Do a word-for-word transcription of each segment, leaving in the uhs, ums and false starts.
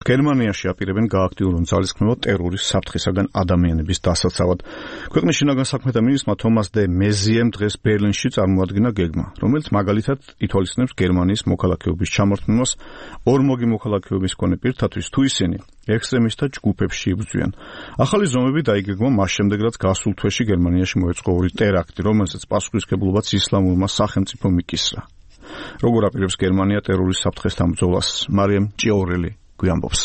გერმანიაში აპირებენ გააქტიურონ ძალისხმევა ტერორის საფრთხისაგან ადამიანების დასაცავად. ქვეყნის შინაგან საქმეთა მინისტრმა თომას დე მეზიემ დღეს ბერლინში წარმოადგინა გეგმა, რომელიც მაგალითად ითვალისწინებს გერმანიის მოქალაქეობის ჩამორთმევას ორმოგი მოქალაქეობის მქონე პირთათვის, თუ ისინი ექსტრემისტთა ჯგუფებში იბრძვიან. ახალი ზომები დაიგეგმა მას შემდეგ, რაც გასულ თვეში გერმანიაში მოეწყო ორი ტერაქტი, რომელზეც პასუხისმგებლობაც ისლამურმა სახელმწიფომ იკისრა. როგორ აპირებს გერმანია ტერორის საფრთხესთან ბრძოლას? მარიამ ჭიაურელი გვიამბობს.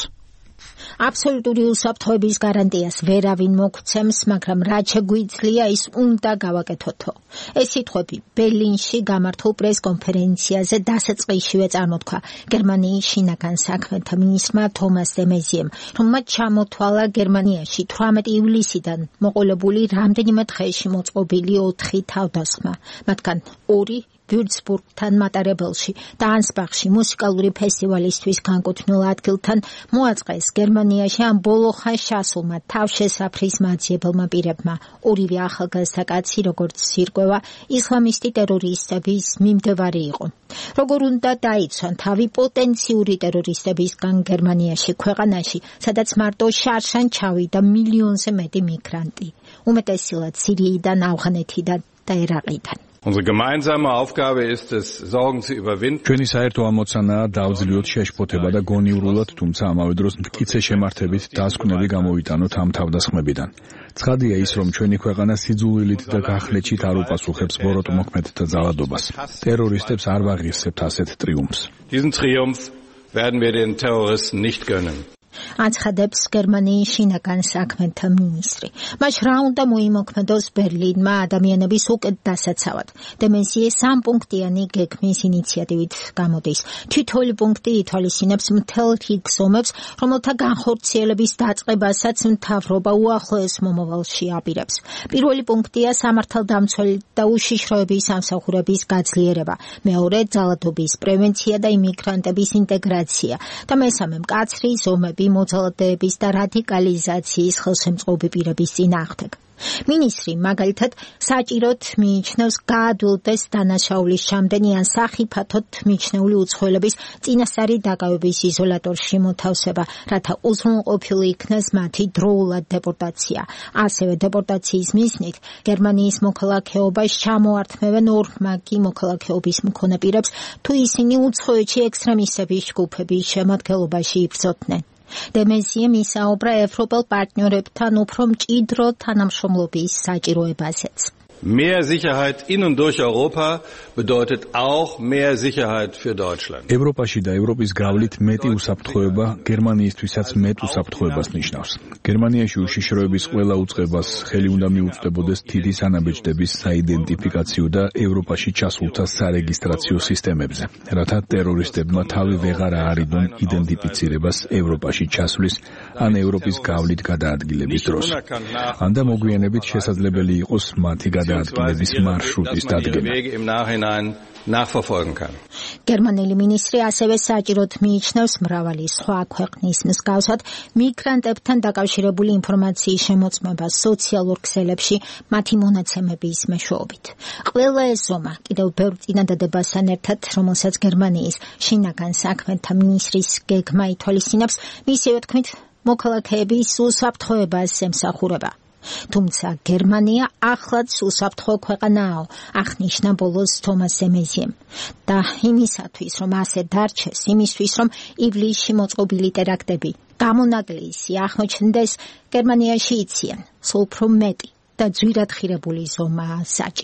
აბსოლუტური უსაფრთხოების გარანტიას ვერავინ მოგცემს, მაგრამ რაც შეგვიძლია ის უნდა გავაკეთოთო. ეს სიტყვები ბერლინში გამართულ პრესკონფერენციაზე დასაწყისშივე წარმოთქვა გერმანიის შინაგან საქმეთა მინისტრმა თომას დე მეზიემ, რომელმაც ჩამოთვალა გერმანიაში თვრამეტი ივლისიდან მოყოლებული რამდენიმე დღეში მოწყობილი ოთხი თავდასხმა, მათგან ორი ვიურცბურგთან მატარებელში და ანსბახში მუსიკალური ფესტივალისთვის განკუთვნილ ადგილთან მოაწყეს გერმანიაში ამ ბოლო ხანს ჩასულმა თავშესაფრის მაძიებელმა პირებმა. ორივე ახალგაზრდა კაცი, როგორც ირკვევა, ისლამისტი ტერორისტების მიმდევარი იყო. როგორ უნდა დაიცვან თავი პოტენციური ტერორისტებისგან გერმანიაში, ქვეყანაში, სადაც მარტო შარშან ჩავიდა მილიონზე მეტი მიგრანტი, უმეტესილად სირიიდან, ავღანეთიდან და ერაყიდან. Unsere gemeinsame Aufgabe ist es, Sorgen zu überwinden. ჩვენი საერთო ამოცანაა დავძლიოთ შეშფოთება და გონივრულად, თუმცა ამავე დროს მტკიცე შემართებით დასკვნები გამოვიტანოთ ამ თავდასხმებიდან. ცხადია ის, რომ ჩვენი ქვეყანა სიძულვილით და გახლეჩით არ უპასუხებს ბოროტმოქმედთა ძალადობას. ტერორისტებს არ ვაღირსებთ ასეთ ტრიუმფს. Diesen Triumph werden wir den Terroristen nicht gönnen. აცხადებს გერმანიის შინაგან საქმეთა მინისტრი. მას რა უნდა მოიმოქმედოს ბერლინმა ადამიანების უკეთ დასაცავად. დე მეზიე სამპუნქტიანი გეგმის ინიციატივით გამოდის. თითოეული პუნქტი ითვალისწინებს მთელ რიგ ზომებს, რომელთა განხორციელების დაწყებასაც მთავრობა უახლოეს მომავალში აპირებს. პირველი პუნქტია სამართალდამცველი და უშიშროების სამსახურების გაძლიერება, მეორე ძალადობის პრევენცია და იმიგრანტების ინტეგრაცია და მესამე მკაცრი ზომები მოძალადეების და რადიკალიზაციის ხელშემწყობი პირების წინააღმდეგ. მინისტრი მაგალითად საჭიროდ მიიჩნევს გაადვილდეს დანაშაულის ჩამდენი ან სახიფათოდ მიჩნეული უცხოელების წინასწარი დაკავების იზოლატორში მოთავსება, რათა უზრუნველყოფილი იქნეს მათი დროულად დეპორტაცია. ასევე დეპორტაციის მიზნით გერმანიის მოქალაქეობას ჩამოართმევენ ორმაგი მოქალაქეობის მქონე პირებს, თუ ისინი უცხოეთში ექსტრემისტების ჯგუფების შემადგენლობაში იბრძოდნენ. დე მეზიემ ისაუბრა ევროპელ პარტნიორებთან უფრო მჭიდრო თანამშრომლობის საჭიროებაზეც. Mehr Sicherheit in und durch Europa bedeutet auch mehr Sicherheit für Deutschland. ევროპაში და ევროპის გავლით მეტი უსაფრთხოება გერმანიისთვისაც მეტ უსაფრთხოებას ნიშნავს. გერმანიაში უშიშროების ყველა უწყებას ხელი უნდა მიუწვდებოდეს დიდი სანაბეჭდების საიდენტიფიკაციო და ევროპაში ჩასულთა სარეგისტრაციო სისტემებზე, რათა ტერორისტებმა თავი ვეღარ აარიდონ იდენტიფიცირებას ევროპაში ჩასვლის ან ევროპის გავლით გადაადგილების დროს. ან და მოგვიანებით შესაძლებელი იყოს მათი გადაადგილების მარშრუტის დადგენა. გერმანელი მინისტრი ასევე საჭიროდ მიიჩნევს მრავალი სხვა ქვეყნის მსგავსად მიგრანტებთან დაკავშირებული ინფორმაციის შემოწმებას სოციალურ ქსელებში მათი მონაცემების მეშვეობით. ყველა ეს ზომა კიდევ ბევრ წინადადებასთან ერთად, რომელსაც გერმანიის შინაგან საქმეთა მინისტრის გეგმა ითვალისწინებს, მისივე თქმით მოქალაქეების უსაფრთხოებას ემსახურება. თუმცა გერმანია ახლაც უსაფრთხო ქვეყანაა, აღნიშნა ბოლოს თომას დე მეზიემ. და იმისათვის, რომ ასე დარჩეს, იმისთვის, რომ ივლისში მოწყობილი ტერაქტები გამონაკლისი აღმოჩნდეს, გერმანიაში იციან, სულ უფრო მეტი და ძვირად ხირებული ზომაა საჭირო.